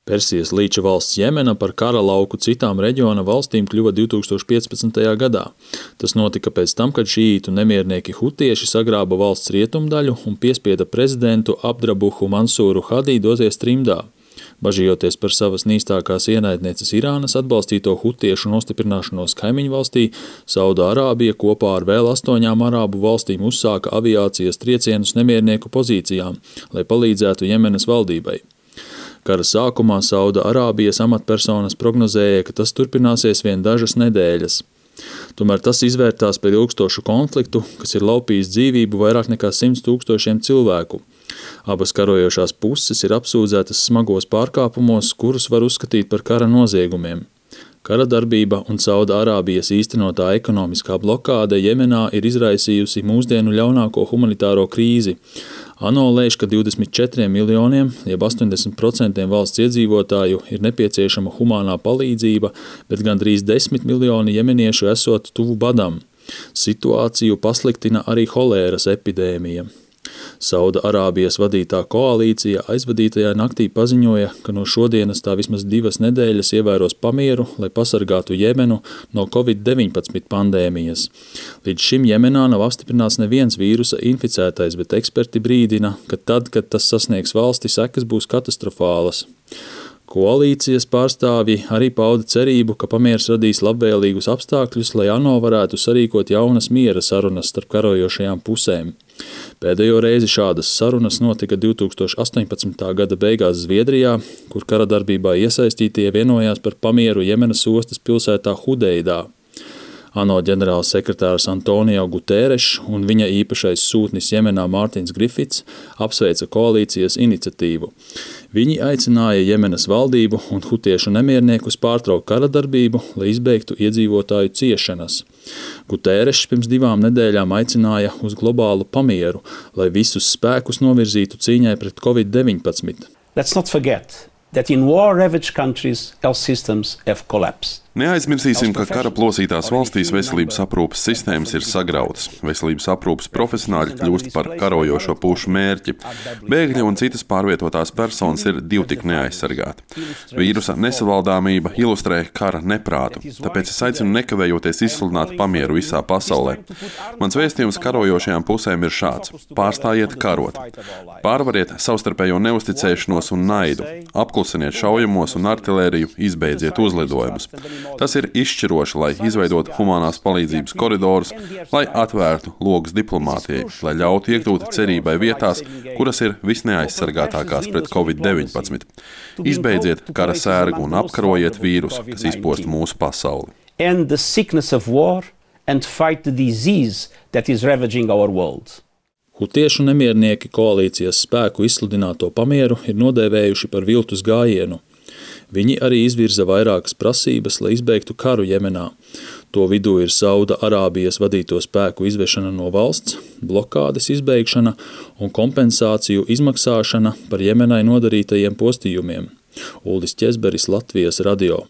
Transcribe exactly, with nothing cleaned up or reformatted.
Persijas līča valsts Jemena par kara lauku citām reģiona valstīm kļuva divtūkstoš piecpadsmitajā gadā. Tas notika pēc tam, kad šīītu nemiernieki hutieši sagrāba valsts rietumdaļu un piespieda prezidentu Abdrabuhu Mansūru Hadī doties trimdā. Bažījoties par savas nīstākās ienaidnieces Irānas atbalstīto hutiešu nostiprināšanos kaimiņu valstī, Saudārābija kopā ar vēl astoņām arābu valstīm uzsāka aviācijas triecienus nemiernieku pozīcijām, lai palīdzētu Jemenas valdībai. Kara sākumā Saudārābijas amatpersonas prognozēja, ka tas turpināsies vien dažas nedēļas. Tomēr tas izvērtās par ilgstošu konfliktu, kas ir laupījis dzīvību vairāk nekā simts tūkstošiem cilvēku. Abas karojošās puses ir apsūdzētas smagos pārkāpumos, kurus var uzskatīt par kara noziegumiem. Kara darbība un Saudārābijas īstenotā ekonomiskā blokāde Jemenā ir izraisījusi mūsdienu ļaunāko humanitāro krīzi. ANO lēš, ka divdesmit četriem miljoniem, jeb astoņdesmit procentiem valsts iedzīvotāju ir nepieciešama humānā palīdzība, bet gandrīz desmit miljoni jemeniešu esot tuvu badam. Situāciju pasliktina arī holēras epidēmija. Saudārābijas vadītā koalīcija aizvadītajā naktī paziņoja, ka no šodienas tā vismaz divas nedēļas ievēros pamieru, lai pasargātu Jemenu no covid deviņpadsmit pandēmijas. Līdz šim Jemenā nav apstiprināts neviens vīrusa inficētais, bet eksperti brīdina, ka tad, kad tas sasniegs valsti, sekas būs katastrofālas. Koalīcijas pārstāvji arī pauda cerību, ka pamieris radīs labvēlīgus apstākļus, lai ANO varētu sarīkot jaunas miera sarunas starp karojošajām pusēm. Pēdējo reizi šādas sarunas notika divtūkstoš astoņpadsmitā gada beigās Zviedrijā, kur kara darbībā iesaistītie vienojās par pamieru Jemenas ostas pilsētā Hudeidā. ANO ģenerāls sekretārs Antonio Guterres un viņa īpašais sūtnis Jemenā Mārtiņš Grifits apsveica koalīcijas iniciatīvu. Viņi aicināja Jemenas valdību un hutiešu nemierniekus pārtraukt kara darbību, lai izbeigtu iedzīvotāju ciešanas. Guterres pirms divām nedēļām aicināja uz globālu pamieru, lai visus spēkus novirzītu cīņai pret covid deviņpadsmit. Let's not forget that in war-ravaged countries health systems have collapsed. Neaizmirsīsim, ka kara plosītās valstīs veselības aprūpes sistēmas ir sagrautas. Veselības aprūpes profesionāļi kļūst par karojošo pušu mērķi. Bēgļi un citas pārvietotās personas ir divtik neaizsargāti. Vīrusa nesavaldāmība ilustrē kara neprātu, tāpēc es aicinu nekavējoties izsludināt pamieru visā pasaulē. Mans vēstījums karojošajām pusēm ir šāds: pārstājiet karot. Pārvariet savstarpējo neusticēšanos un naidu. Apklusiniet šaujamos un artilēriju, izbeidziet uzlidojumus. Tas ir izšķiroši, lai izveidotu humanās palīdzības koridorus, lai atvērtu logus diplomātijai, lai ļautu iekļūt cerībai vietās, kuras ir visneaizsargātākās pret covid deviņpadsmit. Izbeidziet kara sērgu un apkarojiet vīrusu, kas izpost mūsu pasauli. End the sickness of war and fight the disease that is ravaging our world. Hutiešu nemiernieki koalīcijas spēku izsludināto pamieru ir nodēvējuši par viltus gājienu. Viņi arī izvirza vairākas prasības, lai izbeigtu karu Jemenā. To vidū ir Saudārābijas vadīto spēku izvešana no valsts, blokādes izbeigšana un kompensāciju izmaksāšana par Jemenai nodarītajiem postījumiem. Uldis Ķezberis, Latvijas radio.